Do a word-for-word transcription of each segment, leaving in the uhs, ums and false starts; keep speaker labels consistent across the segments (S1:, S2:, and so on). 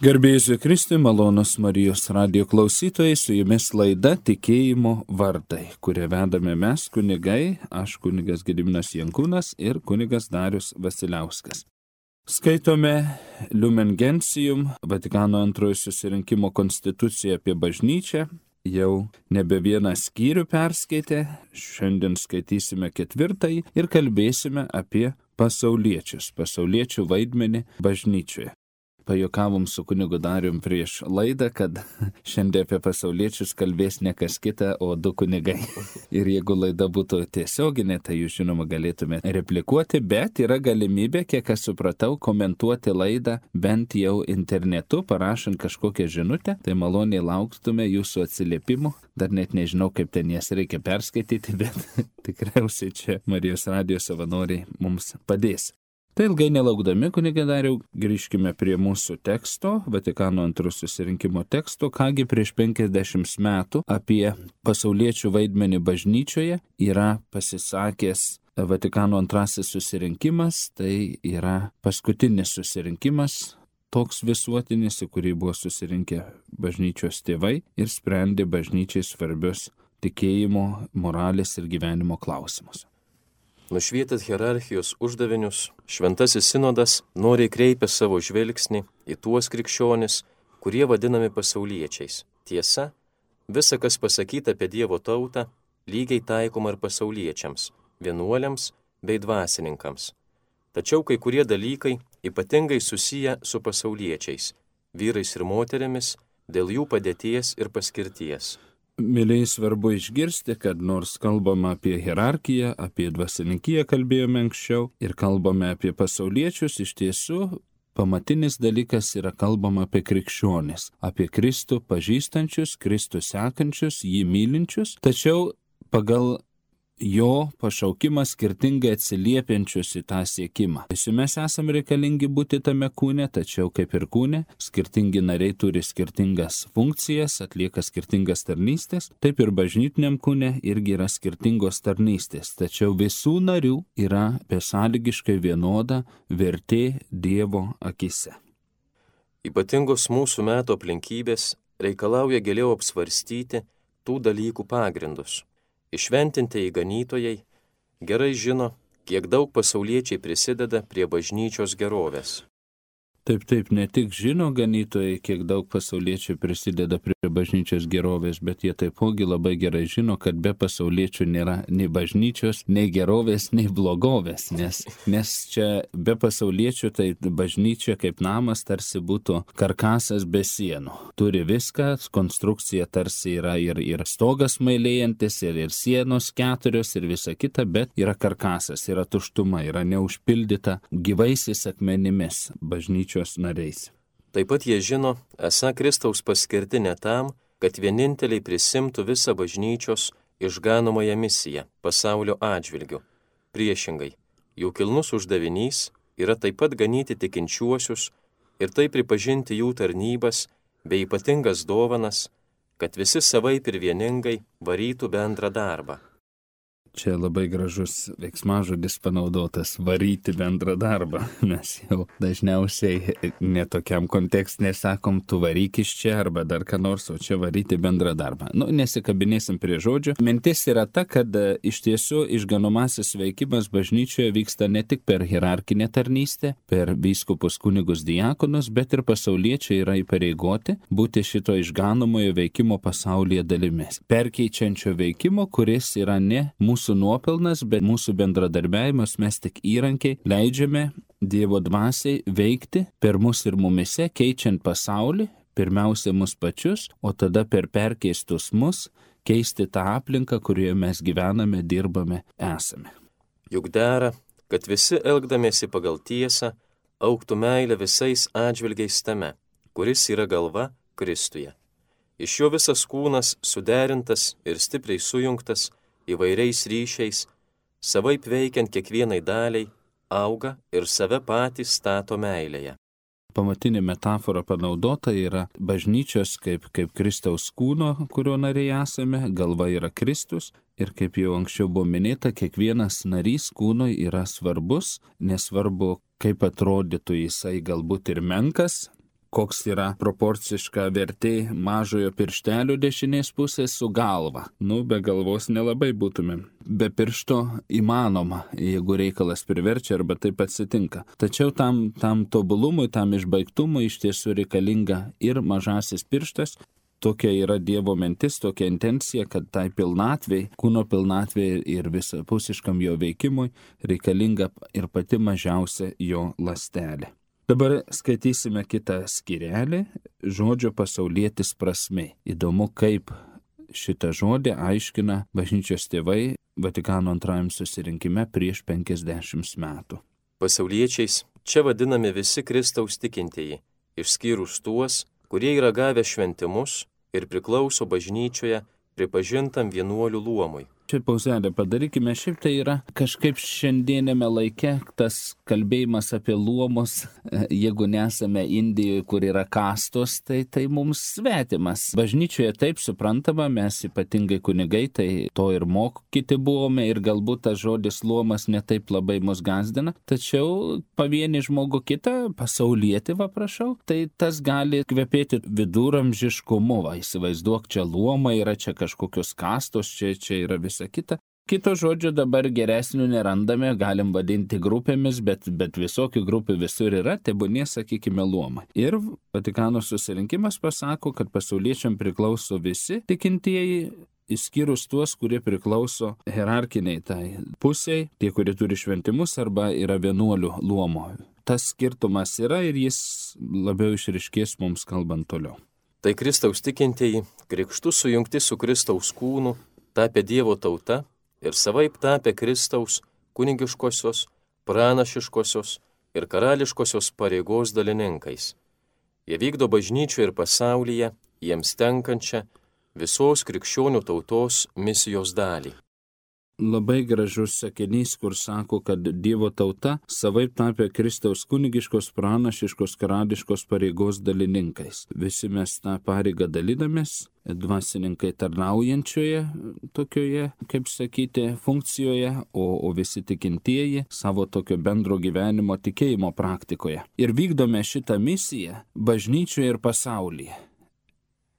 S1: Garbėjus Kristui, malonus Marijos radijo klausytojai, su jumis laida Tikėjimo vardai, kurią vedame mes kunigai, aš kunigas Gediminas Jankūnas ir kunigas Darius Vasiliauskas. Skaitome Lumen Gentium, Vatikano antrojo susirinkimo konstituciją apie bažnyčią, jau nebe vieną skyrių perskaitę, šiandien skaitysime ketvirtąjį ir kalbėsime apie pasauliečius, pasauliečių vaidmenį bažnyčioje. Pajuokavom su kunigu Darium prieš laidą, kad šiandien apie pasauliečius kalbės ne kas kita, o du kunigai. Ir jeigu laida būtų tiesioginė, tai jūs žinoma galėtume replikuoti, bet yra galimybė, kiek aš supratau, komentuoti laidą bent jau internetu, parašant kažkokią žinutę, tai maloniai lauktume jūsų atsiliepimų. Dar net nežinau, kaip ten jas reikia perskaityti, bet tikriausiai čia Marijos radijo savanoriai mums padės. Tai ilgai nelaukdami, kunige Dariau, grįžkime prie mūsų teksto, Vatikano antrojo susirinkimo teksto, kągi prieš penkiasdešimt metų apie pasauliečių vaidmenį bažnyčioje yra pasisakęs Vatikano antrasis susirinkimas, tai yra paskutinis susirinkimas, toks visuotinis, į kurį buvo susirinkę bažnyčios tėvai ir sprendė bažnyčiai svarbius tikėjimo, moralės ir gyvenimo klausimus.
S2: Nušvietęs hierarchijos uždavinius, šventasis sinodas noriai kreipia savo žvilgsnį į tuos krikščionis, kurie vadinami pasauliečiais. Tiesa, visa, kas pasakyta apie Dievo tautą, lygiai taikoma ir pasauliečiams, vienuoliams bei dvasininkams. Tačiau kai kurie dalykai ypatingai susiję su pasauliečiais, vyrais ir moterimis, dėl jų padėties ir paskirties.
S1: Mėliai svarbu išgirsti, kad nors kalbame apie hierarchiją, apie dvasininkiją kalbėjome anksčiau ir kalbame apie pasauliečius, iš tiesų pamatinis dalykas yra kalbama apie krikščionis, apie Kristų pažįstančius, Kristų sekančius, jį mylinčius, tačiau pagal jo pašaukimas skirtingai atsiliepiančius į tą siekimą. Visi mes esame reikalingi būti tame kūne, tačiau kaip ir kūne, skirtingi nariai turi skirtingas funkcijas, atlieka skirtingas tarnystės, taip ir bažnytiniam kūne irgi yra skirtingos tarnystės, tačiau visų narių yra besąlygiškai vienoda vertė Dievo akise.
S2: Ypatingos mūsų metų aplinkybės reikalauja giliau apsvarstyti tų dalykų pagrindus. Išventintieji ganytojai gerai žino, kiek daug pasauliečiai prisideda prie bažnyčios gerovės.
S1: Taip, taip, ne tik žino ganytojai, kiek daug pasauliečių prisideda prie bažnyčios gerovės, bet jie taipogi labai gerai žino, kad be pasauliečių nėra nei bažnyčios, nei gerovės, nei blogovės, nes, nes čia be pasauliečių tai bažnyčia kaip namas tarsi būtų karkasas be sienų. Turi viską, konstrukcija tarsi yra ir, ir stogas mailėjantis, ir, ir sienos keturios, ir visa kita, bet yra karkasas, yra tuštuma, yra neužpildyta gyvaisiais akmenimis bažnyčios nariais.
S2: Taip pat jie žino, esą Kristaus paskirti ne tam, kad vieninteliai prisimtų visą bažnyčios išganomąją misiją pasaulio atžvilgiu. Priešingai, jų kilnus uždavinys yra taip pat ganyti tikinčiuosius ir taip pripažinti jų tarnybas bei ypatingas dovanas, kad visi savaip ir vieningai varytų bendrą darbą.
S1: Čia labai gražus veiksmažodis panaudotas - varyti bendrą darbą. Mes jau dažniausiai netokiam kontekste sakom, tu varyk iš čia arba dar ką nors, o čia varyti bendrą darbą. Nu, nesikabinėsim prie žodžių. Mintis yra ta, kad iš tiesų išganomasis veikimas bažnyčioje vyksta ne tik per hierarchinę tarnystę, per vyskupus, kunigus, diakonus, bet ir pasauliečiai yra įpareigoti būti šito išganomojo veikimo pasaulyje dalimis. Perkeičiančio veikimo, kuris yra ne mūsų Mūsų nuopelnas, bet mūsų bendradarbiavimas, mes tik įrankiai leidžiame Dievo dvasiai veikti per mus ir mumise, keičiant pasaulį, pirmiausia mus pačius, o tada per perkeistus mus keisti tą aplinką, kurioje mes gyvename, dirbame, esame.
S2: Juk dera, kad visi elgdamiesi pagal tiesą, augtų meilė visais atžvilgiais tame, kuris yra galva Kristuje. Iš jo visas kūnas suderintas ir stipriai sujungtas įvairiais ryšiais, savaip veikiant kiekvienai daliai, auga ir save patys stato meilėje.
S1: Pamatinė metafora panaudota yra bažnyčios kaip, kaip Kristaus kūno, kurio nariai esame, galva yra Kristus ir kaip jau anksčiau buvo minėta, kiekvienas narys kūnui yra svarbus, nesvarbu, kaip atrodytų jisai galbūt ir menkas, koks yra proporciška vertė mažojo pirštelio dešinės pusės su galva. Nu, be galvos nelabai būtumėm. Be piršto įmanoma, jeigu reikalas priverčia arba taip atsitinka. Tačiau tam, tam tobulumui, tam išbaigtumui iš tiesų reikalinga ir mažasis pirštas. Tokia yra Dievo mintis, tokia intencija, kad tai pilnatvei, kūno pilnatvei ir visapusiškam jo veikimui reikalinga ir pati mažiausia jo ląstelė. Dabar skaitysime kitą skyrelį, žodžio pasaulietis prasmė. Įdomu, kaip šitą žodį aiškina bažnyčios tėvai Vatikano antrajam susirinkime prieš penkiasdešimt metų.
S2: Pasauliečiais čia vadinami visi Kristaus tikintieji, išskyrus tuos, kurie yra gavę šventimus ir priklauso bažnyčioje pripažintam vienuolių luomui.
S1: Čia pauzelę padarykime, šiaip tai yra kažkaip šiandienėme laike tas kalbėjimas apie luomus, jeigu nesame Indijoje, kur yra kastos, tai tai mums svetimas. Bažnyčioje taip suprantama, mes ypatingai kunigai, tai to ir mokyti buvome ir galbūt tas žodis luomas netaip labai mus gazdina, tačiau pavienį žmogų kitą, pasaulietį, va prašau, tai tas gali kvepėti viduramžiškumu, va įsivaizduok, čia luomai yra, čia kažkokios kastos, čia, čia yra visa kita. Kito žodžio dabar geresnių nerandame, galim vadinti grupėmis, bet, bet visokių grupių visur yra, tebūnie, sakykime, luomai. Ir Vatikano susirinkimas pasako, kad pasauliečiam priklauso visi tikintieji, išskyrus tuos, kurie priklauso hierarkiniai tai pusiai, tie, kurie turi šventimus arba yra vienuolių luomo. Tas skirtumas yra ir jis labiau išryškės mums kalbant toliau.
S2: Tai Kristaus tikintieji, krikštu sujungti su Kristaus kūnu, tapę Dievo tauta ir savaip tapę Kristaus kunigiškosios, pranašiškosios ir karališkosios pareigos dalininkais. Jie vykdo bažnyčioje ir pasaulyje jiems tenkančią visos krikščionių tautos misijos dalį.
S1: Labai gražus sakinys, kur sako, kad Dievo tauta savaip tapę Kristaus kunigiškos, pranašiškos, karališkos pareigos dalininkais. Visi mes tą pareigą dalinamės, dvasininkai tarnaujančioje tokioje, kaip sakyti, funkcijoje, o, o visi tikintieji savo tokio bendro gyvenimo tikėjimo praktikoje. Ir vykdome šitą misiją bažnyčioje ir pasaulyje.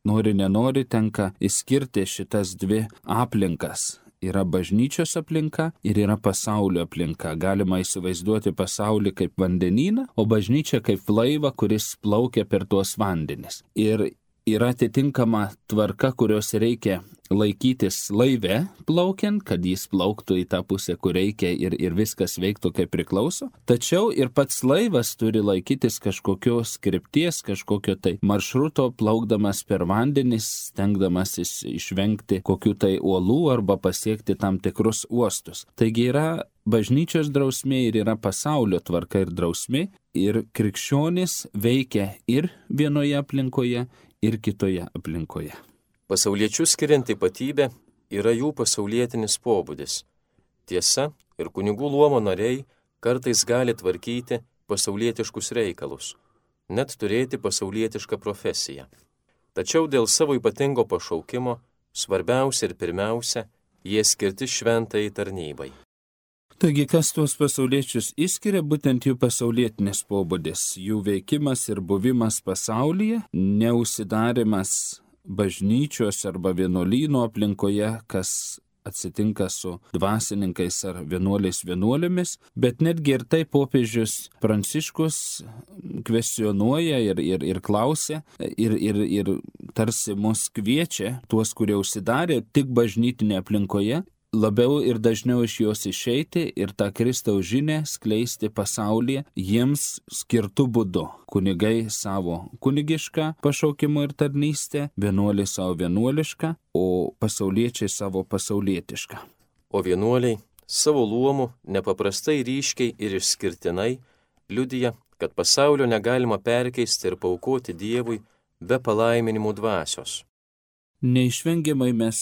S1: Nori, nenori, tenka išskirti šitas dvi aplinkas. Yra bažnyčios aplinka ir yra pasaulio aplinka. Galima įsivaizduoti pasaulį kaip vandenyną, o bažnyčia kaip laivą, kuris plaukia per tuos vandenis. Ir yra atitinkama tvarka, kurios reikia laikytis laive plaukiant, kad jis plauktų į tą pusę, kur reikia ir, ir viskas veiktų kaip priklauso. Tačiau ir pats laivas turi laikytis kažkokios krypties, kažkokio tai maršruto, plaukdamas per vandenis, stengdamasis išvengti kokių tai uolų arba pasiekti tam tikrus uostus. Taigi yra bažnyčios drausmė ir yra pasaulio tvarka ir drausmė, ir krikščionys veikia ir vienoje aplinkoje, ir kitoje aplinkoje.
S2: Pasauliečių skirianti ypatybė yra jų pasaulietinis pobūdis. Tiesa, ir kunigų luomo nariai kartais gali tvarkyti pasaulietiškus reikalus, net turėti pasaulietišką profesiją. Tačiau dėl savo ypatingo pašaukimo, svarbiausia ir pirmiausia, jie skirti šventai tarnybai.
S1: Taigi, kas tuos pasauliečius išskiria, būtent jų pasaulietinis pobūdis, jų veikimas ir buvimas pasaulyje, neužsidarimas bažnyčios arba vienuolyno aplinkoje, kas atsitinka su dvasininkais ar vienuoliais vienuolėmis, bet netgi ir tai popiežius Pranciškus kvestionuoja ir, ir, ir klausia ir, ir, ir tarsi mus kviečia, tuos, kurie užsidarė tik bažnytinė aplinkoje, labiau ir dažniau iš jos išeiti ir tą Kristaus žinę skleisti pasaulyje jiems skirtų būdu. Kunigai savo kunigišką pašaukimą ir tarnystę, vienuoliai savo vienuolišką, o pasauliečiai savo pasaulietišką.
S2: O vienuoliai savo luomu nepaprastai ryškiai ir išskirtinai liudija, kad pasaulio negalima perkeisti ir paaukoti Dievui be palaiminimų dvasios.
S1: Neišvengiamai mes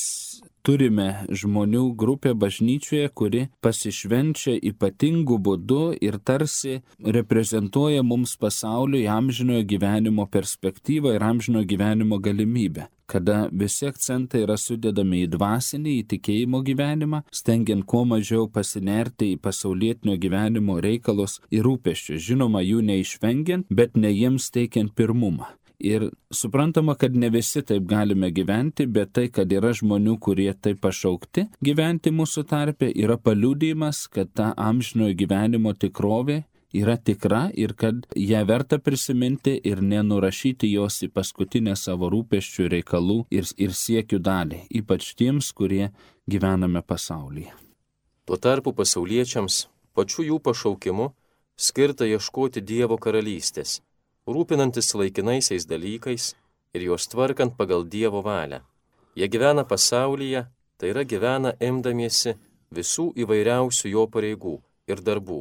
S1: turime žmonių grupę bažnyčioje, kuri pasišvenčia ypatingų būdų ir tarsi reprezentuoja mums pasauliui amžinojo gyvenimo perspektyvą ir amžinojo gyvenimo galimybę, kada visi akcentai yra sudedami į dvasinį, į tikėjimo gyvenimą, stengiant kuo mažiau pasinerti į pasaulietinio gyvenimo reikalus ir rūpesčius, žinoma, jų neišvengiant, bet ne jiems teikiant pirmumą. Ir suprantama, kad ne visi taip galime gyventi, bet tai, kad yra žmonių, kurie taip pašaukti gyventi mūsų tarpe, yra paliudijimas, kad ta amžinojo gyvenimo tikrovė yra tikra ir kad ją verta prisiminti ir nenurašyti jos į paskutinę savo rūpesčių, reikalų ir, ir siekių dalį, ypač tiems, kurie gyvename pasaulyje.
S2: Tuo tarpu pasauliečiams pačiu jų pašaukimu skirta ieškoti Dievo karalystės, rūpinantis laikinaisiais dalykais ir juos tvarkant pagal Dievo valią. Jie gyvena pasaulyje, tai yra gyvena imdamiesi visų įvairiausių jo pareigų ir darbų,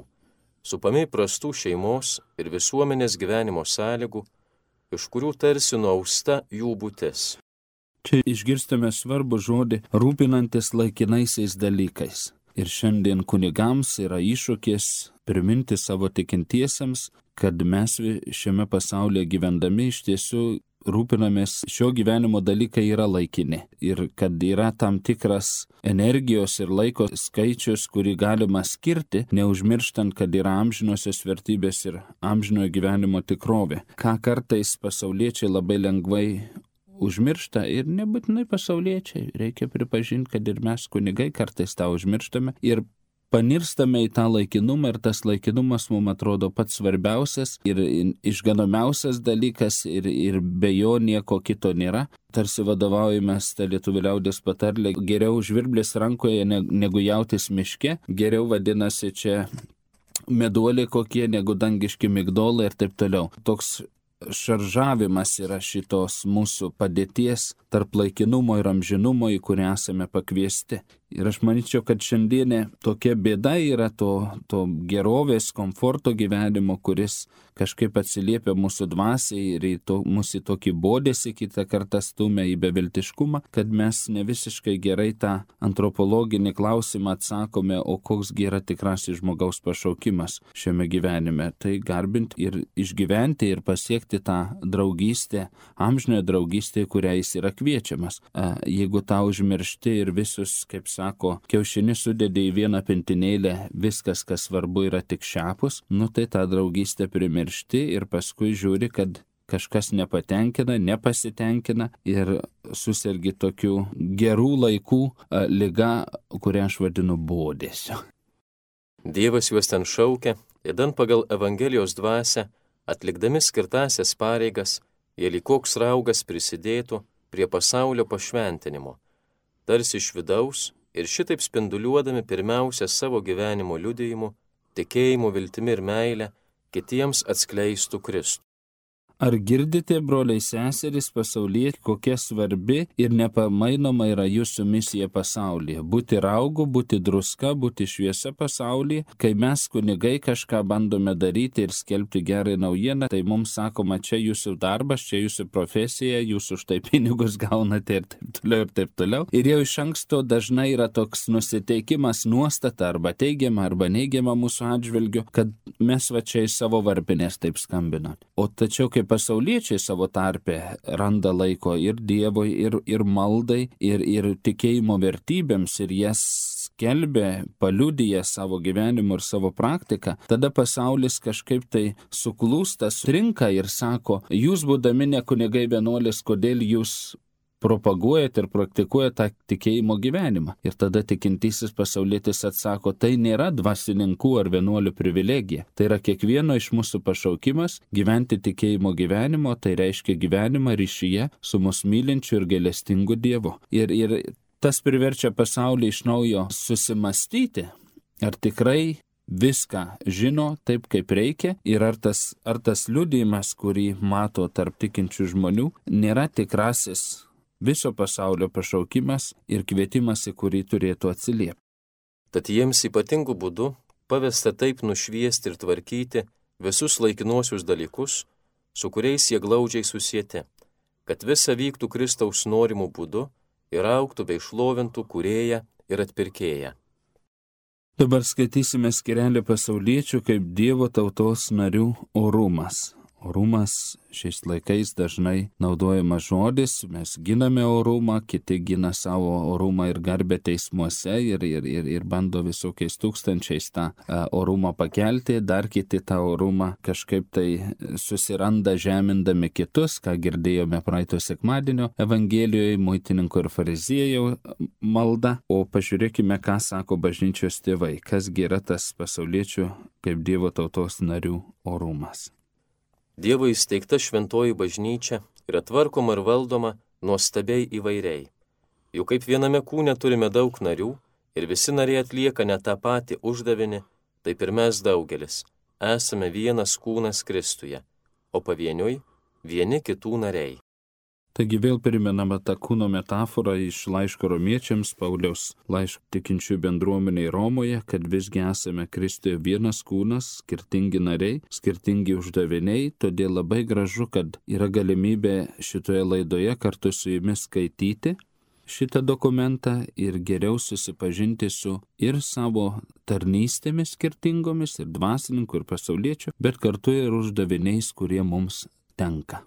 S2: supami prastų šeimos ir visuomenės gyvenimo sąlygų, iš kurių tarsi nuausta jų būtis.
S1: Čia išgirstame svarbų žodį rūpinantis laikinaisiais dalykais. Ir šiandien kunigams yra iššūkis priminti savo tikintiesiems, kad mes šiame pasaulyje gyvendami iš tiesų rūpinamės, šio gyvenimo dalykai yra laikini ir kad yra tam tikras energijos ir laiko skaičius, kurį galima skirti, neužmirštant, kad yra amžinosios vertybės ir amžinojo gyvenimo tikrovė. Ką kartais pasauliečiai labai lengvai užmiršta ir nebūtinai pasauliečiai, reikia pripažinti, kad ir mes kunigai kartais tą užmirštame ir panirstame į tą laikinumą ir tas laikinumas mums atrodo pats svarbiausias ir išganomiausias dalykas ir, ir be jo nieko kito nėra. Tarsi vadovaujamės tą lietuvių liaudies patarlę, geriau žvirblis rankoje negu jautis miške, geriau vadinasi čia meduoliai kokie negu dangiški migdolai ir taip toliau. Toks šaržavimas yra šitos mūsų padėties tarp laikinumo ir amžinumo, į kurią esame pakviesti. Ir aš manyčiau, kad šiandienė tokia bėda yra to, to gerovės, komforto gyvenimo, kuris kažkaip atsiliepia mūsų dvasiai ir į to, mūsų į tokį bodėsi kitą kartą stumia į beviltiškumą, kad mes ne visiškai gerai tą antropologinį klausimą atsakome, o koksgi yra tikrasis žmogaus pašaukimas šiame gyvenime. Tai garbinti ir išgyventi ir pasiekti tą draugystę, amžinąją draugystę, kurią jis yra kviečiamas. Jeigu tą užmiršti ir visus, kaip sako, kiaušinį sudedi į vieną pintinėlę, viskas, kas svarbu, yra tik šiapus, nu tai tą draugystę primiršti ir paskui žiūri, kad kažkas nepatenkina, nepasitenkina ir susirgi tokių gerų laikų liga, kurią aš vadinu bodėsiu.
S2: Dievas juos ten šaukia, įdant pagal Evangelijos dvasią, atlikdami skirtasias pareigas, jie lyg koks raugas prisidėtų prie pasaulio pašventinimo, tarsi iš vidaus ir šitaip spinduliuodami pirmiausia savo gyvenimo liudijimu, tikėjimu, viltimi ir meilę, kitiems atskleistų Kristų.
S1: Ar girdite, broliai seserys, pasaulyje, kokia svarbi ir nepamainoma yra jūsų misija pasaulyje? Būti raugu, būti druska, būti šviesa pasaulyje. Kai mes kunigai kažką bandome daryti ir skelbti gerą naujieną, tai mums sakoma, čia jūsų darbas, čia jūsų profesija, jūs už tai pinigus gaunate ir taip toliau ir taip toliau. Ir jau iš anksto dažnai yra toks nusiteikimas, nuostata arba teigiama arba neigiama mūsų atžvilgiu, kad mes va čia iš savo varpinės taip skambinam. O tačiau kaip pasauliečiai savo tarpe randa laiko ir Dievui, ir, ir maldai, ir, ir tikėjimo vertybėms, ir jas skelbia, paliudija savo gyvenimu ir savo praktiką, tada pasaulis kažkaip tai suklūsta, sutrinka ir sako, jūs būdami ne kunigai vienuolis, kodėl jūs propaguojat ir praktikuojat tą tikėjimo gyvenimą. Ir tada tikintysis pasaulietis atsako, tai nėra dvasininkų ar vienuolių privilegija. Tai yra kiekvieno iš mūsų pašaukimas gyventi tikėjimo gyvenimo, tai reiškia gyvenimą ryšyje su mus mylinčiu ir gailestingu Dievu. Ir, ir tas priverčia pasaulį iš naujo susimastyti, ar tikrai viską žino taip, kaip reikia ir ar tas, ar tas liudijimas, kurį mato tarp tikinčių žmonių, nėra tikrasis viso pasaulio pašaukimas ir kvietimas, į kurį turėtų atsiliepti.
S2: Tad jiems ypatingų būdų pavesta taip nušviesti ir tvarkyti visus laikinuosius dalykus, su kuriais jie glaudžiai susieti, kad visa vyktų Kristaus norimų būdu ir augtų bei šlovintų Kūrėją ir Atpirkėją.
S1: Dabar skaitysime skyrelį pasauliečių kaip Dievo tautos narių orumas. Orumas šiais laikais dažnai naudojamas žodis, mes giname orumą, kiti gina savo orumą ir garbę teismuose ir, ir, ir, ir bando visokiais tūkstančiais tą uh, orumą pakelti, dar kiti tą orumą kažkaip tai susiranda žemindami kitus, ką girdėjome praeito sekmadienio Evangelijoje, muitininkų ir fariziejų malda, o pažiūrėkime, ką sako bažnyčios tėvai, kasgi yra tas pasauliečių kaip Dievo tautos narių orumas.
S2: Dievo įsteigta šventoji bažnyčia yra tvarkoma ir valdoma nuostabiai įvairiai. Juk kaip viename kūne turime daug narių ir visi nariai atlieka ne tą patį uždavinį, taip ir mes daugelis esame vienas kūnas Kristuje, o pavieniui vieni kitų nariai.
S1: Taigi vėl primenama ta kūno metafora iš laiško romiečiams, Pauliaus laiško tikinčių bendruomeniai Romoje, kad visgi esame Kristuje vienas kūnas, skirtingi nariai, skirtingi uždaviniai, todėl labai gražu, kad yra galimybė šitoje laidoje kartu su jumis skaityti šitą dokumentą ir geriau susipažinti su ir savo tarnystėmis skirtingomis, ir dvasininkų, ir pasauliečių, bet kartu ir uždaviniais, kurie mums tenka.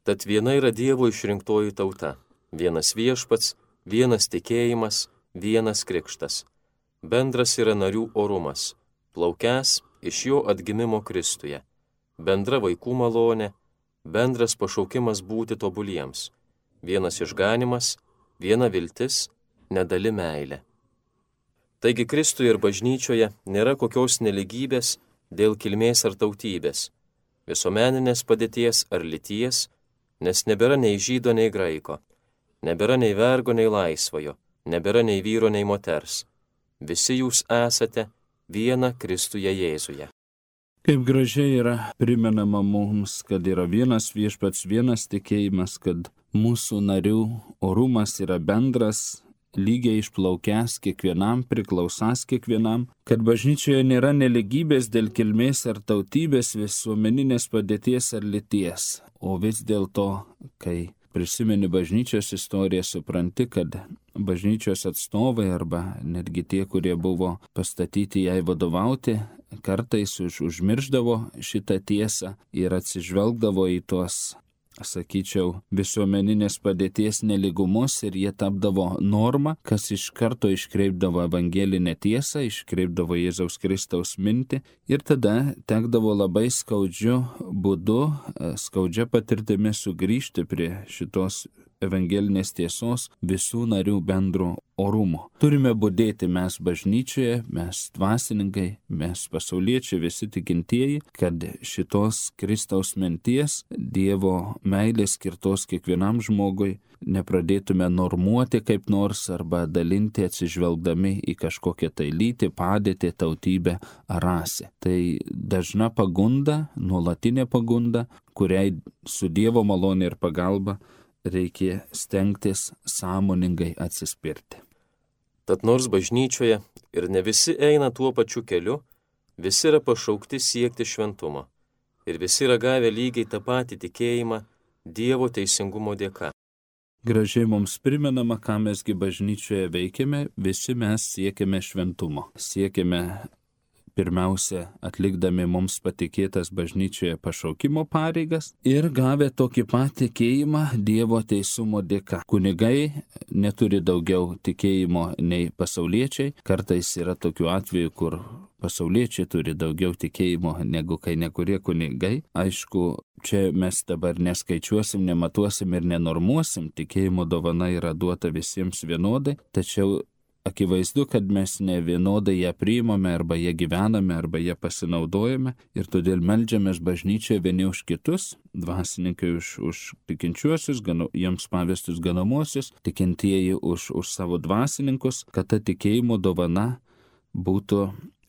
S2: Tad viena yra Dievo išrinktoji tauta, vienas viešpats, vienas tikėjimas, vienas krikštas. Bendras yra narių orumas, plaukęs iš jo atgimimo Kristuje, bendra vaikų malonė, bendras pašaukimas būti tobuliems, vienas išganimas, viena viltis, nedali meilė. Taigi Kristuje ir bažnyčioje nėra kokios neligybės dėl kilmės ar tautybės, visuomeninės padėties ar lyties, nes nebėra nei žydo, nei graiko, nebėra nei vergo, nei laisvojo, nebėra nei vyro, nei moters. Visi jūs esate viena Kristuje Jėzuje.
S1: Kaip gražiai yra primenama mums, kad yra vienas viešpats, vienas tikėjimas, kad mūsų narių orumas yra bendras, lygiai išplaukęs kiekvienam, priklausas kiekvienam, kad bažnyčioje nėra neligybės dėl kilmės ar tautybės, visuomeninės padėties ar lyties. O vis dėlto, kai prisimeni bažnyčios istoriją, supranti, kad bažnyčios atstovai arba netgi tie, kurie buvo pastatyti jai vadovauti, kartais už, užmirždavo šitą tiesą ir atsižvelgdavo į tuos, sakyčiau, visuomeninės padėties neligumus ir jie tapdavo norma, kas iš karto iškreipdavo evangelinę tiesą, iškreipdavo Jėzaus Kristaus mintį ir tada tekdavo labai skaudžiu būdu, skaudžia patirtimi sugrįžti prie šitos evangelinės tiesos visų narių bendro orumo. Turime budėti mes bažnyčioje, mes dvasininkai, mes pasauliečiai, visi tikintieji, kad šitos Kristaus minties, Dievo meilės skirtos kiekvienam žmogui nepradėtume normuoti kaip nors arba dalinti atsižvelgdami į kažkokią tai lytį, padėtį, tautybę ar rasę. Tai dažna pagunda, nuolatinė pagunda, kuriai su Dievo malonė ir pagalba reikia stengtis sąmoningai atsispirti.
S2: Tad nors bažnyčioje ir ne visi eina tuo pačiu keliu, visi yra pašaukti siekti šventumo ir visi yra gavę lygiai tą patį tikėjimą Dievo teisingumo dėka.
S1: Gražiai mums primenama, ką mesgi bažnyčioje veikiame, visi mes siekiame šventumo. Siekiame pirmiausia atlikdami mums patikėtas bažnyčioje pašaukimo pareigas ir gavę tokį pat tikėjimą Dievo teisumo dėka. Kunigai neturi daugiau tikėjimo nei pasauliečiai. Kartais yra tokių atvejų, kur pasauliečiai turi daugiau tikėjimo negu kai nekurie kunigai. Aišku, čia mes dabar neskaičiuosim, nematuosim ir nenormuosim. Tikėjimo dovana yra duota visiems vienodai, tačiau akivaizdu, kad mes ne vienodai ją priimame, arba ją gyvename, arba ją pasinaudojame ir todėl meldžiamės bažnyčioje vieni už kitus, dvasininkai už, už tikinčiuosius, ganu, jiems pavestus ganomuosius, tikintieji už, už savo dvasininkus, kad ta tikėjimo dovana būtų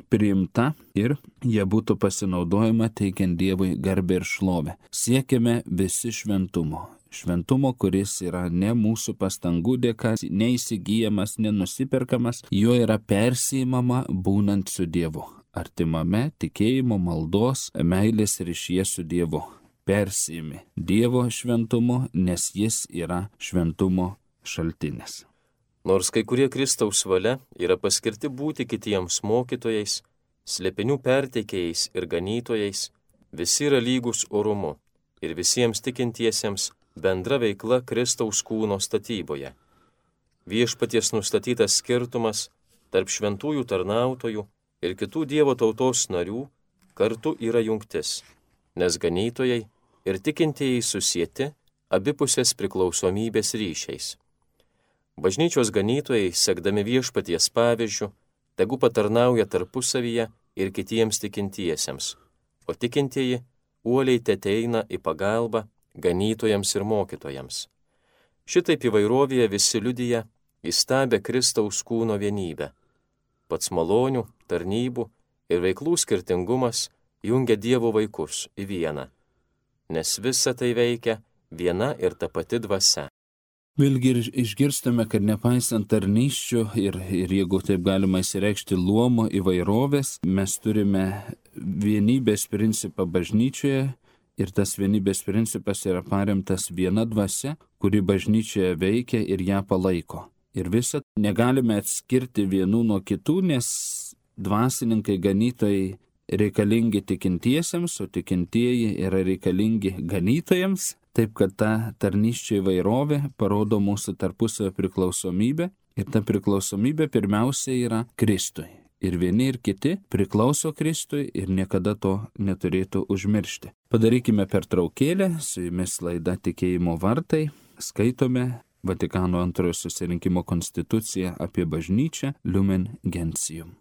S1: priimta ir jie būtų pasinaudojama teikiant Dievui garbę ir šlovę. Siekiame visi šventumo. Šventumo, kuris yra ne mūsų pastangų dėka, neįsigyjamas, nenusiperkamas, jo yra persiimama būnant su Dievu. Artimame tikėjimo, maldos, meilės ryšyje su Dievu. Persiimi Dievo šventumu, nes jis yra šventumo šaltinis.
S2: Nors kai kurie Kristaus valia yra paskirti būti kitiems mokytojais, slėpinių perteikėjais ir ganytojais, visi yra lygus orumu ir visiems tikintiesiems bendra veikla Kristaus kūno statyboje. Viešpaties nustatytas skirtumas tarp šventųjų tarnautojų ir kitų Dievo tautos narių kartu yra jungtis, nes ganytojai ir tikintieji susieti abipusės priklausomybės ryšiais. Bažnyčios ganytojai, sekdami Viešpaties pavyzdžiu, tegu patarnauja tarpusavyje ir kitiems tikintiesiems, o tikintieji uoliai teteina į pagalbą ganytojams ir mokytojams. Šitaip įvairovėje visi liudija įstabę Kristaus kūno vienybę. Pats malonių, tarnybų ir veiklų skirtingumas jungia Dievo vaikus į vieną, nes visa tai veikia viena ir ta pati dvasia.
S1: Vėlgi išgirstame, kad nepaisant tarnysčių ir, ir jeigu taip galima įsireikšti luomo įvairovės, mes turime vienybės principą bažnyčioje ir tas vienybės principas yra paremtas viena dvasia, kuri bažnyčioje veikia ir ją palaiko. Ir visą negalime atskirti vienų nuo kitų, nes dvasininkai ganytojai reikalingi tikintiesiems, o tikintieji yra reikalingi ganytojams. Taip, kad ta tarnysčio įvairovė parodo mūsų tarpusavio priklausomybę ir ta priklausomybė pirmiausia yra Kristui. Ir vieni ir kiti priklauso Kristui ir niekada to neturėtų užmiršti. Padarykime pertraukėlę, su jumis laida Tikėjimo vartai, skaitome Vatikano antrojo susirinkimo konstituciją apie bažnyčią Lumen Gentium.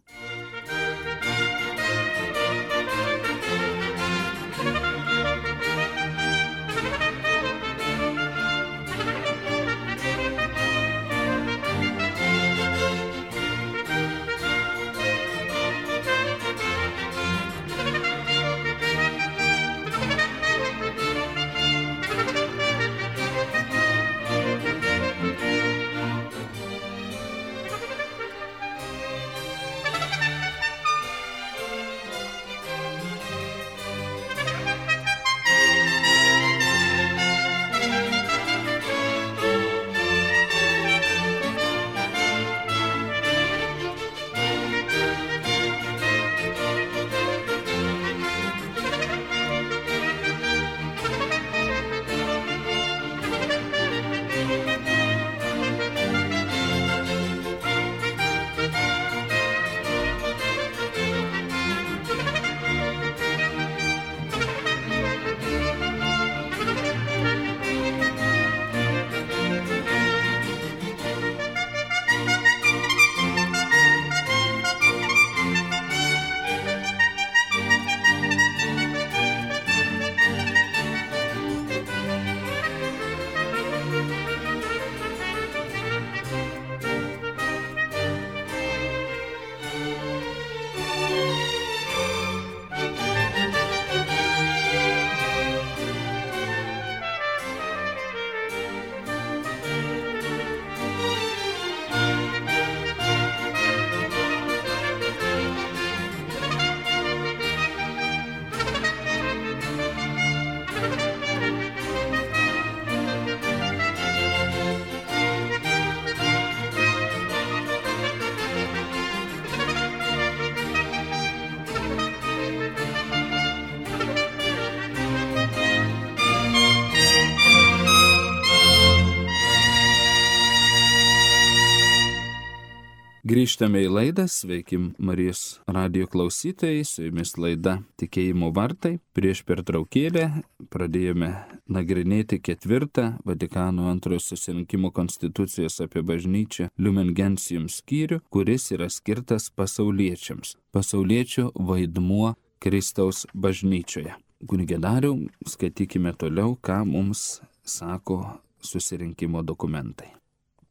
S1: Grįžtame į laidą, sveikim Marijos radijo klausytojai, su jumis laida Tikėjimo vartai. Prieš pertraukėlę pradėjome nagrinėti ketvirtą Vatikano antrojo susirinkimo konstitucijos apie bažnyčią Lumen Gentium skyrių, kuris yra skirtas pasauliečiams. Pasauliečio vaidmuo Kristaus bažnyčioje. Kunige Dariau, skaitykime toliau, ką mums sako susirinkimo dokumentai.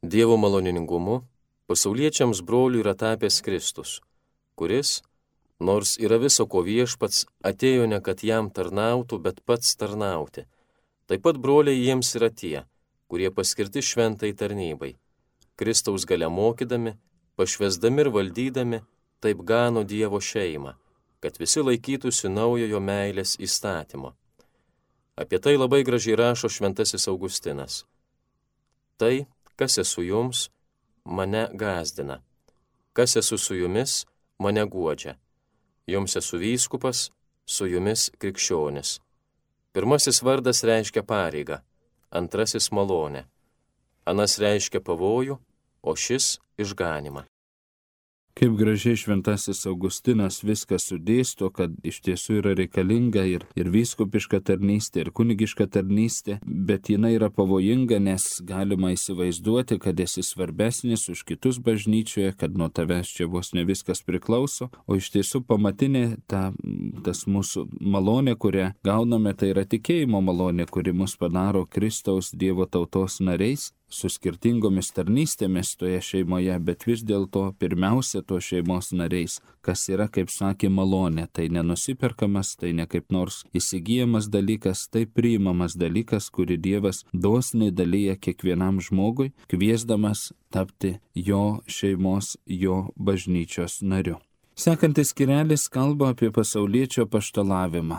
S2: Dievo maloningumu pasauliečiams brolių yra tapęs Kristus, kuris, nors yra viso ko viešpats, atėjo ne kad jam tarnautų, bet pats tarnauti. Taip pat broliai jiems yra tie, kurie paskirti šventai tarnybai. Kristaus galia mokydami, pašvesdami ir valdydami, taip gano Dievo šeimą, kad visi laikytųsi naujojo meilės įstatymo. Apie tai labai gražiai rašo šventasis Augustinas. Tai, kas esu jums, mane gazdina. Kas esu su jumis, mane guodžia. Jums esu vyskupas, su jumis krikščionis. Pirmasis vardas reiškia pareigą, antrasis malonę. Anas reiškia pavojų, o šis išganimą.
S1: Kaip gražiai šventasis Augustinas viską sudėsto, kad iš tiesų yra reikalinga ir, ir vyskupiška tarnystė, ir kunigiška tarnystė, bet jinai yra pavojinga, nes galima įsivaizduoti, kad esi svarbesnis už kitus bažnyčioje, kad nuo tavęs čia vos ne viskas priklauso, o iš tiesų pamatinė ta, tas mūsų malonė, kurią gauname, tai yra tikėjimo malonė, kuri mus padaro Kristaus Dievo tautos nariais, su skirtingomis tarnystėmis toje šeimoje, bet vis dėlto pirmiausia to šeimos nariais, kas yra, kaip sakė, malonė, tai nenusiperkamas, tai ne kaip nors įsigyjamas dalykas, tai priimamas dalykas, kurį Dievas dosniai dalyja kiekvienam žmogui, kviesdamas tapti jo šeimos, jo bažnyčios nariu. Sekantis skyrelis kalba apie pasauliečio apaštalavimą.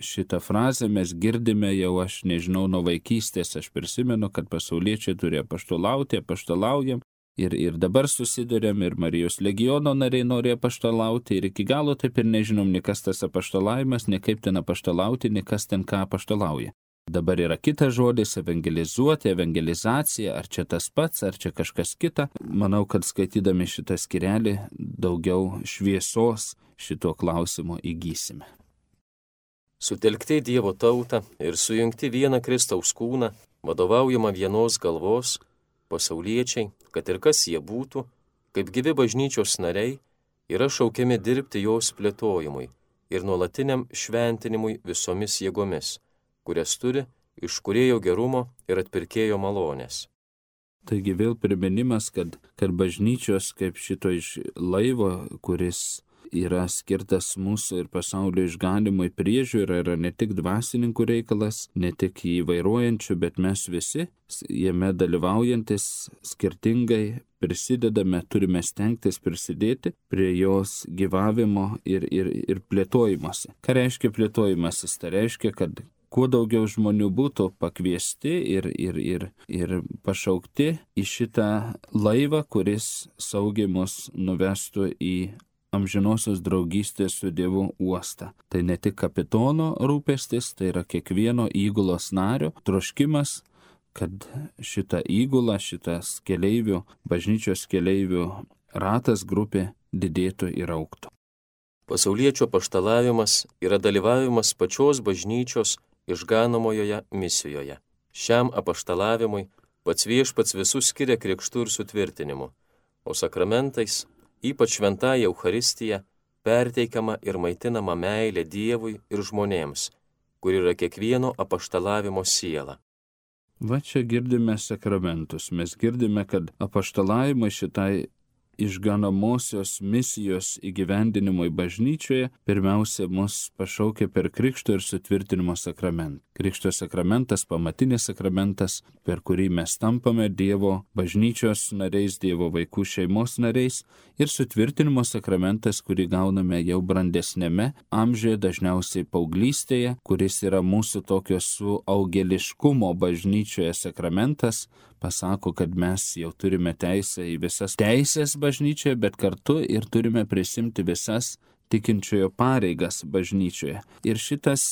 S1: Šitą frazę mes girdime jau, aš nežinau, nuo vaikystės. Aš prisimenu, kad pasauliečiai turi apaštalauti, apaštalaujam. Ir, ir dabar susidurėm, ir Marijos legiono nariai nori apaštalauti. Ir iki galo taip ir nežinom, nei kas tas apaštalavimas, nei kaip ten apaštalauti, nei kas ten ką apaštalauja. Dabar yra kitas žodis - evangelizuoti, evangelizacija, ar čia tas pats, ar čia kažkas kita. Manau, kad skaitydami šitą skyrelį daugiau šviesos šito klausimo įgysime.
S2: Sutelkti Dievo tautą ir sujungti vieną Kristaus kūną, vadovaujama vienos galvos, pasauliečiai, kad ir kas jie būtų, kaip gyvi bažnyčios nariai, yra šaukiami dirbti jos plėtojimui ir nuolatiniam šventinimui visomis jėgomis, kurias turi iš Kūrėjo gerumo ir atpirkėjo malonės.
S1: Taigi vėl priminimas, kad, kad bažnyčios kaip šito iš laivo, kuris yra skirtas mūsų ir pasaulio išganimui priežiūra, yra ne tik dvasininkų reikalas, ne tik jį vairuojančių, bet mes visi jame dalyvaujantis skirtingai prisidedame, turime stengtis prisidėti prie jos gyvavimo ir, ir, ir plėtojimuose. Ką reiškia plėtojimasis? Tai reiškia, kad kuo daugiau žmonių būtų pakviesti ir, ir, ir, ir pašaukti į šitą laivą, kuris saugiai mus nuvestų į amžinosios draugystės su Dievu uostą. Tai ne tik kapitono rūpestis, tai yra kiekvieno įgulos nario troškimas, kad šitą įgulą, šitas keleivių, bažnyčios keleivių ratas grupė didėtų ir augtų.
S2: Pasauliečio apaštalavimas yra dalyvavimas pačios bažnyčios išganomojoje misijoje. Šiam apaštalavimui pats Viešpats visus skiria krikštu ir sutvirtinimu, o sakramentais, ypač šventąja Eucharistija, perteikiama ir maitinama meilė Dievui ir žmonėms, kur yra kiekvieno apaštalavimo siela.
S1: Va čia girdime sakramentus. Mes girdime, kad apaštalavimai šitai išganomosios misijos įgyvendinimui bažnyčioje pirmiausia mus pašaukia per krikšto ir sutvirtinimo sakramentą. Krikšto sakramentas, pamatinis sakramentas, per kurį mes tampame Dievo bažnyčios nariais, Dievo vaikų šeimos nariais, ir sutvirtinimo sakramentas, kurį gauname jau brandesnėme amžiuje, dažniausiai paauglystėje, kuris yra mūsų tokio suaugėliškumo bažnyčioje sakramentas, pasako, kad mes jau turime teisę į visas teisės bažnyčioje, bet kartu ir turime prisimti visas tikinčiojo pareigas bažnyčioje. Ir šitas,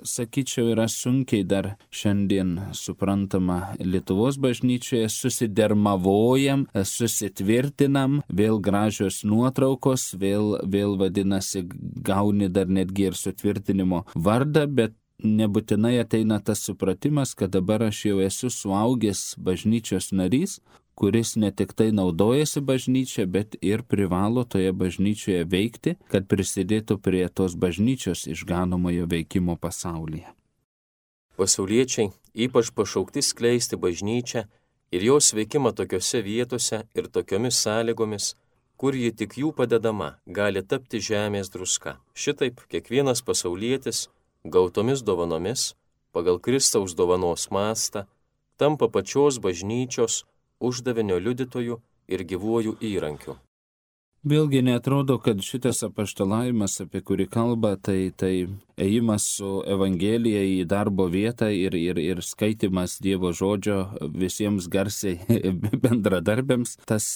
S1: sakyčiau, yra sunkiai dar šiandien suprantama Lietuvos bažnyčioje, susidermavojam, susitvirtinam, vėl gražios nuotraukos, vėl, vėl vadinasi, gauni dar netgi ir sutvirtinimo vardą, bet nebūtinai ateina tas supratimas, kad dabar aš jau esu suaugęs bažnyčios narys, kuris ne tik tai naudojasi bažnyčia, bet ir privalo toje bažnyčioje veikti, kad prisidėtų prie tos bažnyčios išganomojo veikimo pasaulyje.
S2: Pasauliečiai ypač pašaukti skleisti bažnyčią ir jos veikimą tokiose vietose ir tokiomis sąlygomis, kur ji tik jų padedama gali tapti žemės druska. Šitaip kiekvienas pasaulietis gautomis dovanomis, pagal Kristaus dovanos mastą, tampa pačios bažnyčios uždavinio liudytojų ir gyvuoju įrankiu.
S1: Vėlgi netrodo, kad šitas apaštalavimas, apie kurį kalba, tai, tai ėjimas su Evangelija į darbo vietą ir, ir, ir skaitimas Dievo žodžio visiems garsiai bendradarbiams, tas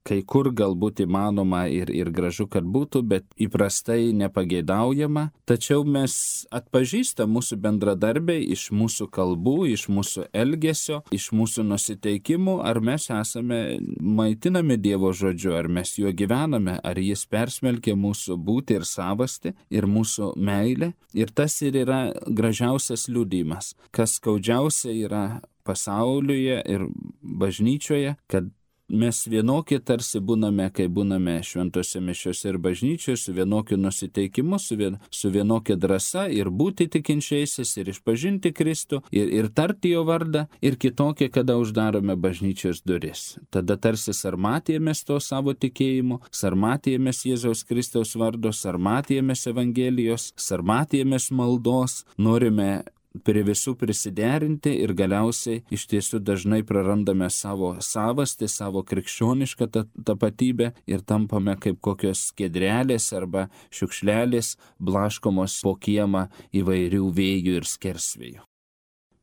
S1: kai kur galbūt įmanoma ir, ir gražu, kad būtų, bet įprastai nepageidaujama. Tačiau mes atpažįstam mūsų bendradarbiai iš mūsų kalbų, iš mūsų elgesio, iš mūsų nusiteikimų, ar mes esame maitinami Dievo žodžiu, ar mes juo gyvename, ar jis persmelkia mūsų būtį ir savastį ir mūsų meilę. Ir tas ir yra gražiausias liudijimas, kas skaudžiausia yra pasaulyje ir bažnyčioje, kad mes vienokie tarsi būname, kai būname šventose mišiose ir bažnyčioje, su vienokiu nusiteikimu, su, vien, su vienokia drąsa ir būti tikinčiaisiais, ir išpažinti Kristų, ir, ir tarti jo vardą, ir kitokie, kada uždarome bažnyčios duris. Tada tarsi sarmatėjomės to savo tikėjimu, sarmatėjomės Jėzaus Kristaus vardo, sarmatėjomės Evangelijos, sarmatėjomės maldos, norime prie visų prisiderinti ir galiausiai iš tiesų dažnai prarandame savo savastį, savo krikščionišką tapatybę ir tampame kaip kokios skiedrelės arba šiukšlelės blaškomos po kiemą įvairių vėjų ir skersvėjų.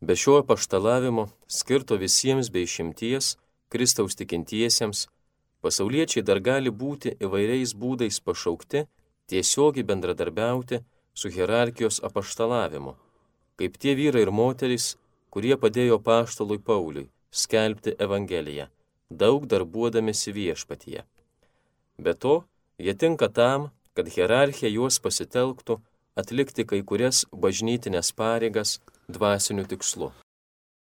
S2: Be šio apaštalavimo, skirto visiems be išimties, Kristaus tikintiesiems, pasauliečiai dar gali būti įvairiais būdais pašaukti tiesiogiai bendradarbiauti su hierarchijos apaštalavimu, kaip tie vyrai ir moterys, kurie padėjo apaštalui Pauliui skelbti Evangeliją, daug darbuodamėsi viešpatyje. Be to, jie tinka tam, kad hierarchija juos pasitelktų atlikti kai kurias bažnytinės pareigas dvasiniu tikslu.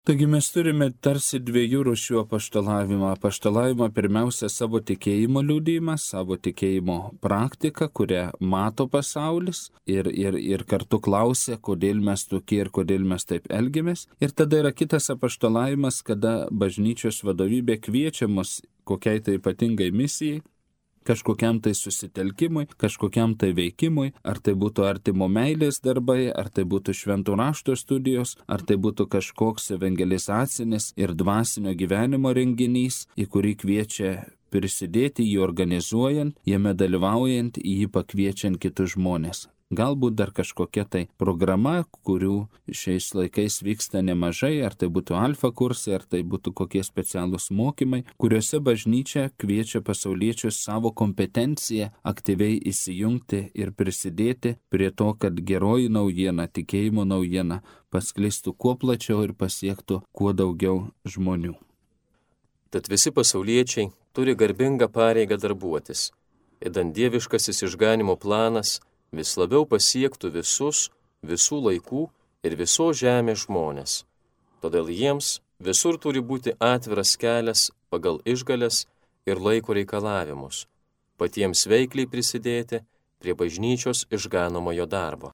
S1: Taigi mes turime tarsi dviejų rūšių apaštalavimą. Apaštalavimą pirmiausia savo tikėjimo liudijimą, savo tikėjimo praktiką, kurią mato pasaulis ir, ir, ir kartu klausia, kodėl mes tokie ir kodėl mes taip elgiamės. Ir tada yra kitas apaštalavimas, kada bažnyčios vadovybė kviečia mus kokiai tai ypatingai misijai, kažkokiam tai susitelkimui, kažkokiam tai veikimui, ar tai būtų artimo meilės darbai, ar tai būtų šventų rašto studijos, ar tai būtų kažkoks evangelizacinis ir dvasinio gyvenimo renginys, į kurį kviečia prisidėti, jį organizuojant, jame dalyvaujant, į jį pakviečiant kitus žmonės. Galbūt dar kažkokia tai programa, kurių šiais laikais vyksta nemažai, ar tai būtų alfa kursai, ar tai būtų kokie specialūs mokymai, kuriuose bažnyčia kviečia pasauliečius savo kompetenciją aktyviai įsijungti ir prisidėti prie to, kad geroji naujiena, tikėjimo naujiena pasklistų kuo plačiau ir pasiektų kuo daugiau žmonių.
S2: Tad visi pasauliečiai turi garbingą pareigą darbuotis, idant dieviškasis išganimo planas vis labiau pasiektų visus, visų laikų ir visos žemės žmonės. Todėl jiems visur turi būti atviras kelias pagal išgales ir laiko reikalavimus, patiems veikliai prisidėti prie bažnyčios išganomojo darbo.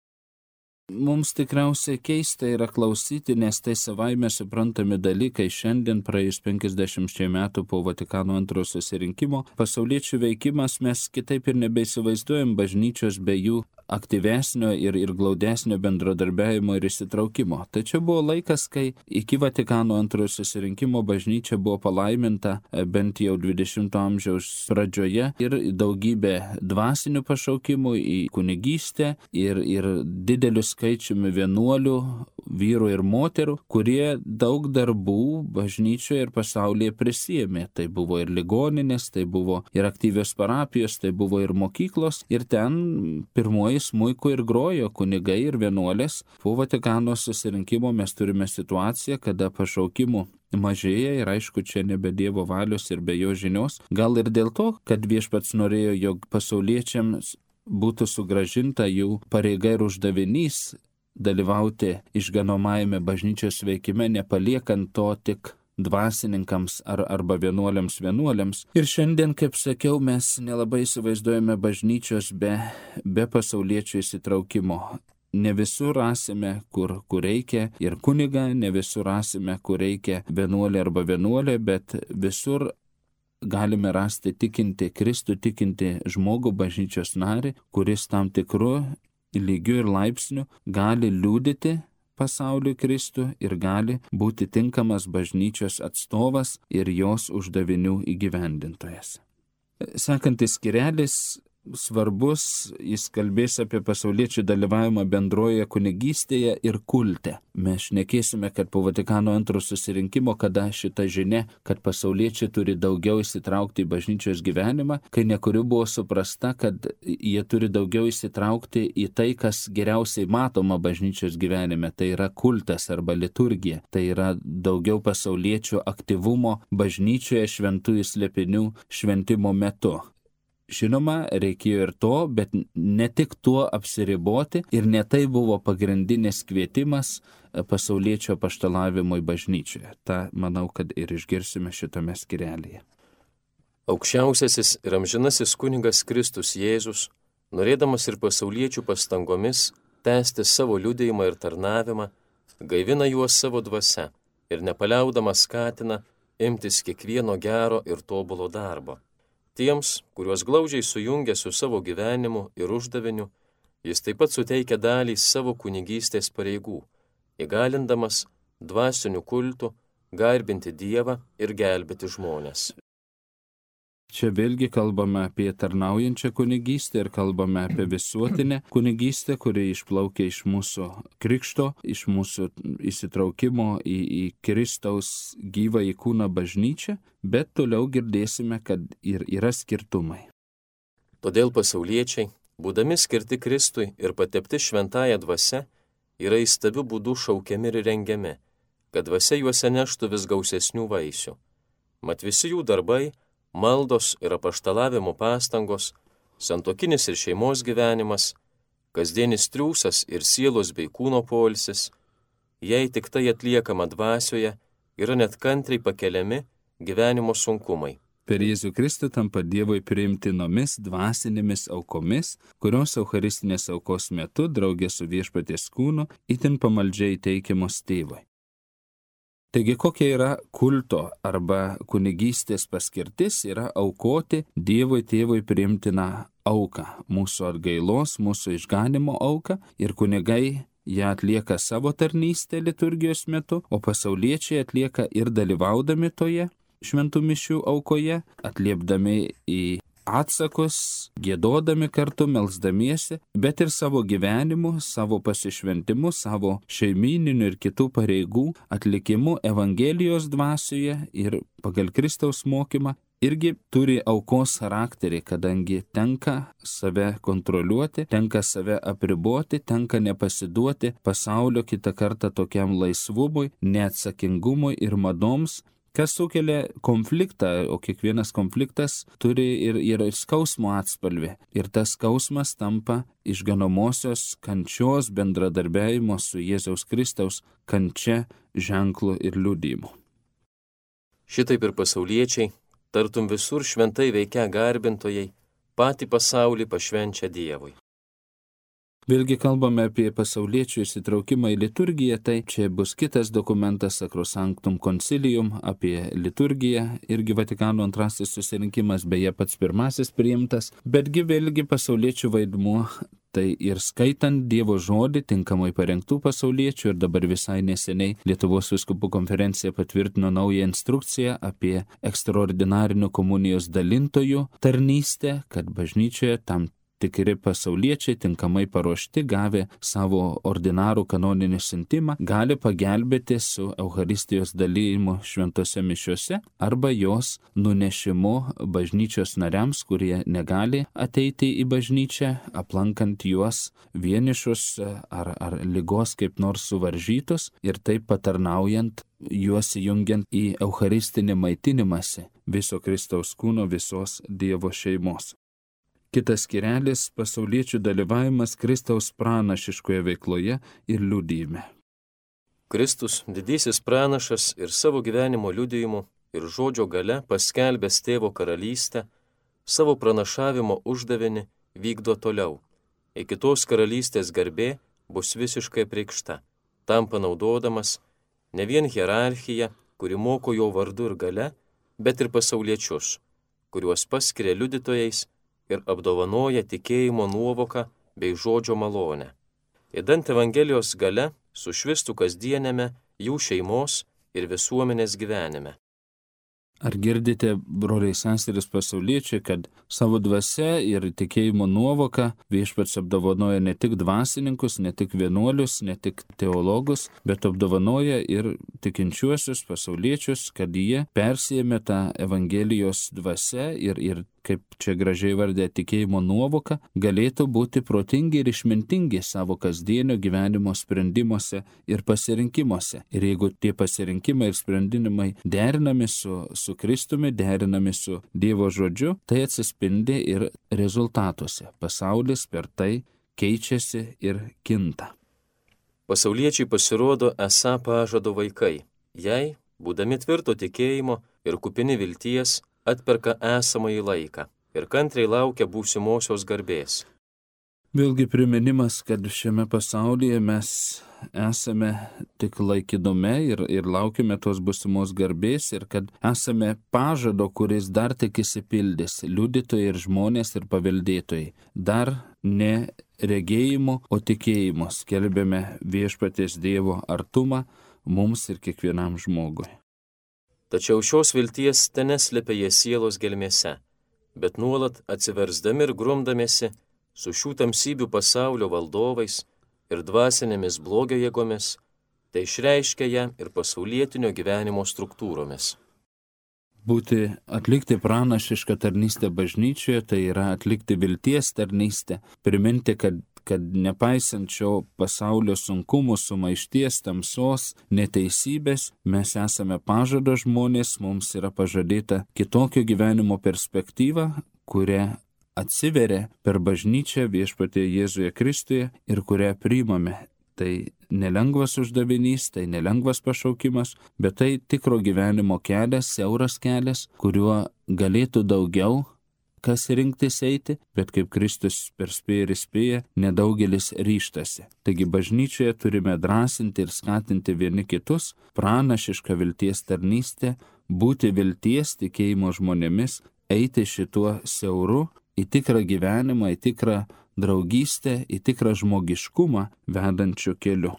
S1: Mums tikriausiai keista yra klausyti, nes tai savaime suprantami dalykai šiandien praėjus penkiasdešimčiai metų po Vatikano antrojo susirinkimo. Pasauliečių veikimas mes kitaip ir nebeįsivaizduojam bažnyčios be jų aktyvesnio ir, ir glaudesnio bendradarbiavimo ir įsitraukimo. Tačiau buvo laikas, kai iki Vatikano antrojo susirinkimo bažnyčia buvo palaiminta bent jau dvidešimto amžiaus pradžioje ir daugybė dvasinių pašaukimų į kunigystę ir, ir dideliu skaičiumi vienuolių, vyrų ir moterų, kurie daug darbų bažnyčioje ir pasaulyje prisijėmė. Tai buvo ir ligoninės, tai buvo ir aktyvios parapijos, tai buvo ir mokyklos ir ten pirmoji smuiku ir grojo kunigai ir vienuolės. Po Vatikano susirinkimo mes turime situaciją, kada pašaukimų mažėja ir aišku, čia nebe Dievo valios ir be jo žinios. Gal ir dėl to, kad viešpats norėjo, jog pasauliečiams būtų sugrąžinta jų pareiga ir uždavinys dalyvauti išganomajame bažnyčios veikime, nepaliekant to tik dvasininkams ar, arba vienuoliams vienuoliams. Ir šiandien, kaip sakiau, mes nelabai įsivaizduojame bažnyčios be, be pasauliečių įsitraukimo. Ne visur rasime, kur, kur reikia ir kunigą, ne visur rasime, kur reikia vienuolį arba vienuolę, bet visur galime rasti tikinti Kristų, tikinti žmogų, bažnyčios narį, kuris tam tikru lygiu ir laipsniu gali liudyti pasauliui Kristų ir gali būti tinkamas bažnyčios atstovas ir jos uždavinių įgyvendintojas. Sekantis skirelis svarbus, jis kalbės apie pasauliečių dalyvavimą bendroje kunigystėje ir kulte. Mes šnekėsime, kad po Vatikano antrojo susirinkimo, kada šita žinia, kad pasauliečiai turi daugiau įsitraukti į bažnyčios gyvenimą, kai nekuriu buvo suprasta, kad jie turi daugiau įsitraukti į tai, kas geriausiai matoma bažnyčios gyvenime, tai yra kultas arba liturgija, tai yra daugiau pasauliečių aktyvumo bažnyčioje šventųjų slėpinių šventimo metu. Žinoma, reikėjo ir to, bet ne tik tuo apsiriboti ir ne tai buvo pagrindinis kvietimas pasauliečio apaštalavimui bažnyčioje. Ta, manau, kad ir išgirsime šitame skirelyje.
S2: Aukščiausiasis ir amžinasis kunigas Kristus Jėzus, norėdamas ir pasauliečių pastangomis tęsti savo liudijimą ir tarnavimą, gaivina juos savo dvasia ir nepaliaudamas skatina imtis kiekvieno gero ir tobulo darbo. Tiems, kuriuos glaudžiai sujungia su savo gyvenimu ir uždaviniu, jis taip pat suteikia dalį savo kunigystės pareigų, įgalindamas dvasinių kultų garbinti Dievą ir gelbėti žmones.
S1: Čia vėlgi kalbame apie tarnaujančią kunigystę ir kalbame apie visuotinę kunigystę, kuri išplaukia iš mūsų krikšto, iš mūsų įsitraukimo į, į Kristaus gyvą į kūną bažnyčią, bet toliau girdėsime, kad ir yra skirtumai.
S2: Todėl pasauliečiai, būdami skirti Kristui ir patepti šventąją dvasią, yra įstabių būdų šaukiami ir rengiami, kad dvasia juose neštų vis gausesnių vaisių. Mat visi jų darbai, maldos ir apaštalavimo pastangos, santuokinis ir šeimos gyvenimas, kasdienis triūsas ir sielos bei kūno poilsis, jei tik tai atliekama dvasioje, yra net kantriai pakeliami gyvenimo sunkumai.
S1: Per Jėzų Kristų tampa Dievui priimtinomis dvasinėmis aukomis, kurios eucharistinės aukos metu draugė su viešpaties kūnu itin pamaldžiai teikiamos tėvui. Taigi kokia yra kulto arba kunigystės paskirtis, yra aukoti Dievui tėvui priimtiną auką, mūsų atgailos, mūsų išganimo auką, ir kunigai ją atlieka savo tarnystę liturgijos metu, o pasauliečiai atlieka ir dalyvaudami toje šventų mišių aukoje, atliepdami į atsakus, giedodami kartu, melsdamiesi, bet ir savo gyvenimu, savo pasišventimu, savo šeimyninių ir kitų pareigų atlikimu Evangelijos dvasioje ir pagal Kristaus mokymą irgi turi aukos charakterį, kadangi tenka save kontroliuoti, tenka save apriboti, tenka nepasiduoti pasaulio kitą kartą tokiam laisvumui, neatsakingumui ir madoms, kas sukelia konfliktą, o kiekvienas konfliktas turi ir, ir skausmo atspalvį. Ir tas skausmas tampa išganomosios kančios bendradarbiavimo su Jėzaus Kristaus kančia ženklu ir liudijimu.
S2: Šitaip ir pasauliečiai, tartum visur šventai veikia garbintojai, patį pasaulį pašvenčia Dievui.
S1: Vėlgi kalbame apie pasauliečių įsitraukimą į liturgiją, tai čia bus kitas dokumentas Sacrosanctum Concilium apie liturgiją, irgi Vatikano antrasis susirinkimas, beje pats pirmasis priimtas, betgi vėlgi pasauliečių vaidmuo, tai ir skaitant Dievo žodį tinkamai parengtų pasauliečių, ir dabar visai neseniai Lietuvos vyskupų konferencija patvirtino naują instrukciją apie ekstraordinarinių komunijos dalintojų tarnystę, kad bažnyčioje tam tikri pasauliečiai tinkamai paruošti, gavę savo ordinarų kanoninį siuntimą, gali pagelbėti su Eucharistijos dalyjimu šventose mišiose arba jos nunešimu bažnyčios nariams, kurie negali ateiti į bažnyčią, aplankant juos vienišus ar, ar ligos kaip nors suvaržytus ir taip patarnaujant juos įjungiant į eucharistinį maitinimąsi viso Kristaus kūno, visos Dievo šeimos. Kitas skirelis – pasauliečių dalyvavimas Kristaus pranašiškoje veikloje ir liudijime.
S2: Kristus, didysis pranašas ir savo gyvenimo liudijimu ir žodžio gale paskelbęs tėvo karalystę, savo pranašavimo uždavinį vykdo toliau. Iki tos karalystės garbė bus visiškai apreikšta, tam panaudodamas ne vien hierarchiją, kuri moko jo vardu ir gale, bet ir pasauliečius, kuriuos paskiria liudytojais ir apdovanoja tikėjimo nuovoką bei žodžio malonę. Idant Evangelijos gale sušvistų kasdienėme jų šeimos ir visuomenės gyvenime.
S1: Ar girdite, broliai seserys pasauliečiai, kad savo dvasia ir tikėjimo nuovoka viešpats apdovanoja ne tik dvasininkus, ne tik vienuolius, ne tik teologus, bet apdovanoja ir tikinčiuosius pasauliečius, kad jie persijėmė tą Evangelijos dvasia ir, ir kaip čia gražiai vardė tikėjimo nuovoka, galėtų būti protingi ir išmintingi savo kasdienio gyvenimo sprendimuose ir pasirinkimuose. Ir jeigu tie pasirinkimai ir sprendimai derinami su, su Kristumi, derinami su Dievo žodžiu, tai atsispindi ir rezultatuose. Pasaulis per tai keičiasi ir kinta.
S2: Pasauliečiai pasirodo esą pažado vaikai, jei, būdami tvirto tikėjimo ir kupini vilties, atperka esamąjį laiką ir kantriai laukia būsimosios garbės.
S1: Vėlgi priminimas, kad šiame pasaulyje mes esame tik laikinume ir, ir laukime tos būsimos garbės ir kad esame pažado, kuris dar tik išsipildys, liudytojai ir žmonės ir paveldėtojai. Dar ne regėjimo, o tikėjimo skelbėme viešpaties Dievo artumą mums ir kiekvienam žmogui.
S2: Tačiau šios vilties teneslėpia jie sielos gelmėse, bet nuolat atsiversdami ir grumdamėsi su šių tamsybių pasaulio valdovais ir dvasinėmis blogio jėgomis, tai išreiškia ją ir pasaulietinio gyvenimo struktūromis.
S1: Būti atlikti pranašišką tarnystę bažnyčioje, tai yra atlikti vilties tarnystę, priminti, kad kad nepaisant šio pasaulio sunkumų, sumaišties, tamsos, neteisybės, mes esame pažado žmonės, mums yra pažadėta kitokio gyvenimo perspektyva, kuria atsiveria per bažnyčią viešpatie Jėzuje Kristuje ir kurią priimame. Tai nelengvas uždavinys, tai nelengvas pašaukimas, bet tai tikro gyvenimo kelias, siauras kelias, kuriuo galėtų daugiau kas rinktis eiti, bet kaip Kristus perspėja ir įspėja, nedaugelis ryštasi. Taigi bažnyčioje turime drąsinti ir skatinti vieni kitus, pranašišką vilties tarnystę, būti vilties tikėjimo žmonėmis, eiti šituo siauru į tikrą gyvenimą, į tikrą draugystę, į tikrą žmogiškumą vedančių keliu.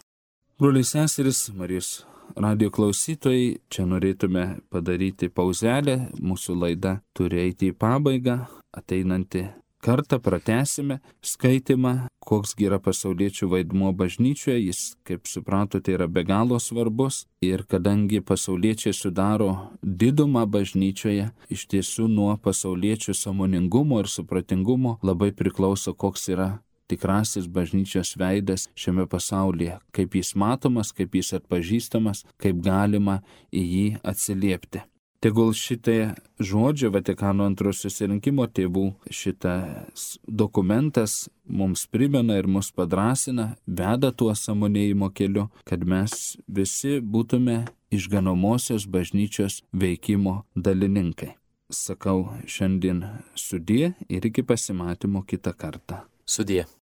S1: Broliai seserys, Marijos radijo klausytojai, čia norėtume padaryti pauzelę, mūsų laida turi eiti į pabaigą, ateinantį kartą pratęsime skaitymą, koks yra pasauliečių vaidmuo bažnyčioje, jis, kaip supratote, yra be galo svarbus ir kadangi pasauliečiai sudaro didumą bažnyčioje, iš tiesų nuo pasauliečių sąmoningumo ir supratingumo labai priklauso, koks yra tikrasis bažnyčios veidas šiame pasaulyje, kaip jis matomas, kaip jis atpažįstamas, kaip galima į jį atsiliepti. Tegul šitie žodžiai Vatikano antrojo susirinkimo tėvų šitas dokumentas mums primena ir mus padrasina, veda tuo sąmonėjimo keliu, kad mes visi būtume išganomosios bažnyčios veikimo dalininkai. Sakau šiandien sudie ir iki pasimatymo kitą kartą.
S2: Sudie.